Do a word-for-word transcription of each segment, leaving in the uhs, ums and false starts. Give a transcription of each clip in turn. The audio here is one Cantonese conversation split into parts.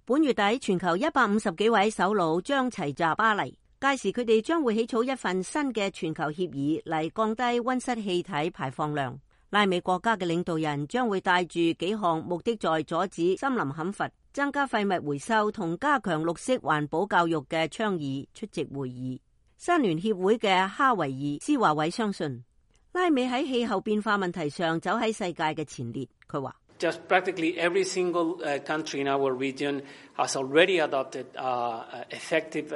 本月底，全球一百五十幾位首腦將齊集巴黎，屆時佢哋將會起草一份新嘅全球協議嚟降低溫室氣體排放量。拉美國家嘅領導人將會帶住幾項目的在阻止森林砍伐、增加廢物回收同加強綠色環保教育嘅倡議出席會議。山聯協會嘅哈維爾斯華偉相信，拉美喺氣候變化問題上走喺世界嘅前列。佢話：Just practically every single country in our region has already adopted effective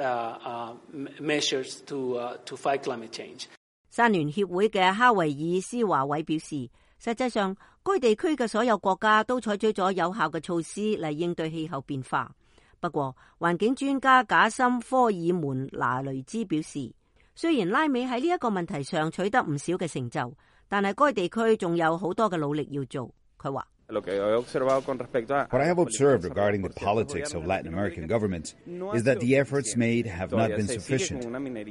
measures to to fight climate change。山聯協會嘅哈維爾斯華偉表示，實際上該地區嘅所有國家都採取咗有效嘅措施嚟應對氣候變化。不過，環境專家賈森科爾門拿雷茲表示，雖然拉美喺呢一個問題上取得唔少嘅成就，但係該地區仲有好多嘅努力要做。佢話：What I have observed regarding the politics of Latin American governments is that the efforts made have not been sufficient。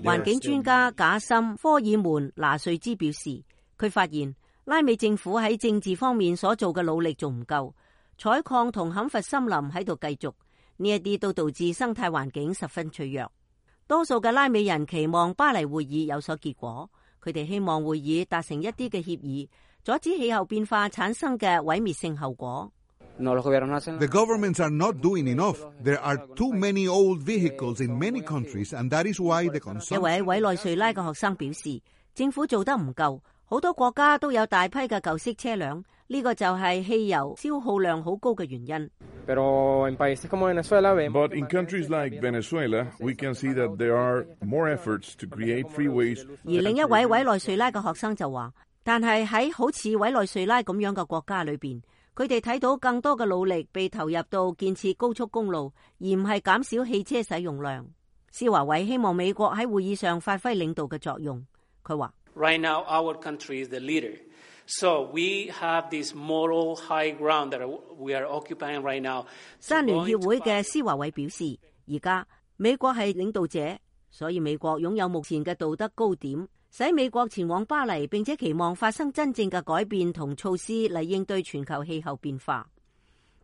環境專家賈森科爾門拿瑞茲表示，佢發現拉美政府喺政治方面所做嘅努力仲唔夠，採礦同砍伐森林喺度繼續。呢一啲都導致生態環境十分脆弱。多數嘅拉美人期望巴黎會議有所結果，佢哋希望會議達成一啲嘅協議，阻止氣候變化產生嘅毀滅性後果。The governments are not doing enough. There are too many old vehicles in many countries, and that is why the consumption。一位委內瑞拉嘅學生表示，政府做得唔夠，好多國家都有大批嘅舊式車輛，呢個就係汽油消耗量好高嘅原因。But in countries like Venezuela, we can see that there are more efforts to create freeways。而另一位委內瑞拉嘅學生就話，但係喺好似委內瑞拉咁樣嘅國家裏邊，佢哋睇到更多嘅努力被投入到建設高速公路，而唔係減少汽車使用量。施華偉希望美國喺會議上發揮領導嘅作用。佢話：Right now, our country is the leader. So we have this moral high ground that we are occupying right now。山聯協會嘅施華偉表示，而家美國係領導者，所以美國擁有目前嘅道德高點，使美國前往巴黎，並且期望發生真正嘅改變同措施嚟應對全球氣候變化。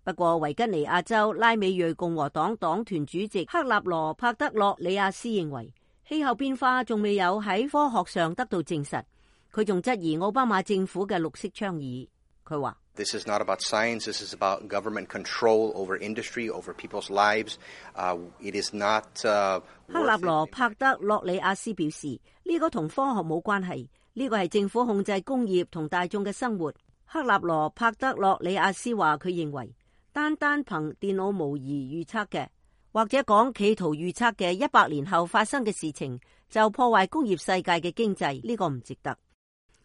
不過，維吉尼亞州拉美裔共和黨黨團主席克納羅帕德洛里亞斯認為，氣候變化仲未有喺科學上得到證實。佢仲質疑奧巴馬政府嘅綠色倡議。佢話：This is not about science. This is about government control over industry, over people's lives. Uh, it is not. 克納羅帕德洛里亞斯表示，呢個同科學冇關係，呢個係政府控制工業同大眾嘅生活。克納羅帕德洛里亞斯話，佢認為單單憑電腦模擬預測嘅，或者講企圖預測嘅一百年後發生嘅事情，就破壞工業世界嘅經濟，呢個唔值得。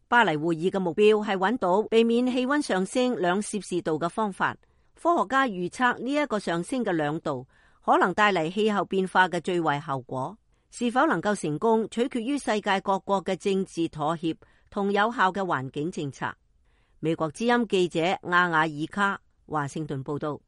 巴黎會議嘅目標係揾到避免氣溫上升兩攝氏度嘅方法。科學家預測呢一個上升嘅兩度可能帶嚟氣候變化嘅最壞效果。是否能夠成功，取決於世界各國嘅政治妥協同有效嘅環境政策。美國之音記者亞瓦爾卡華盛頓報道。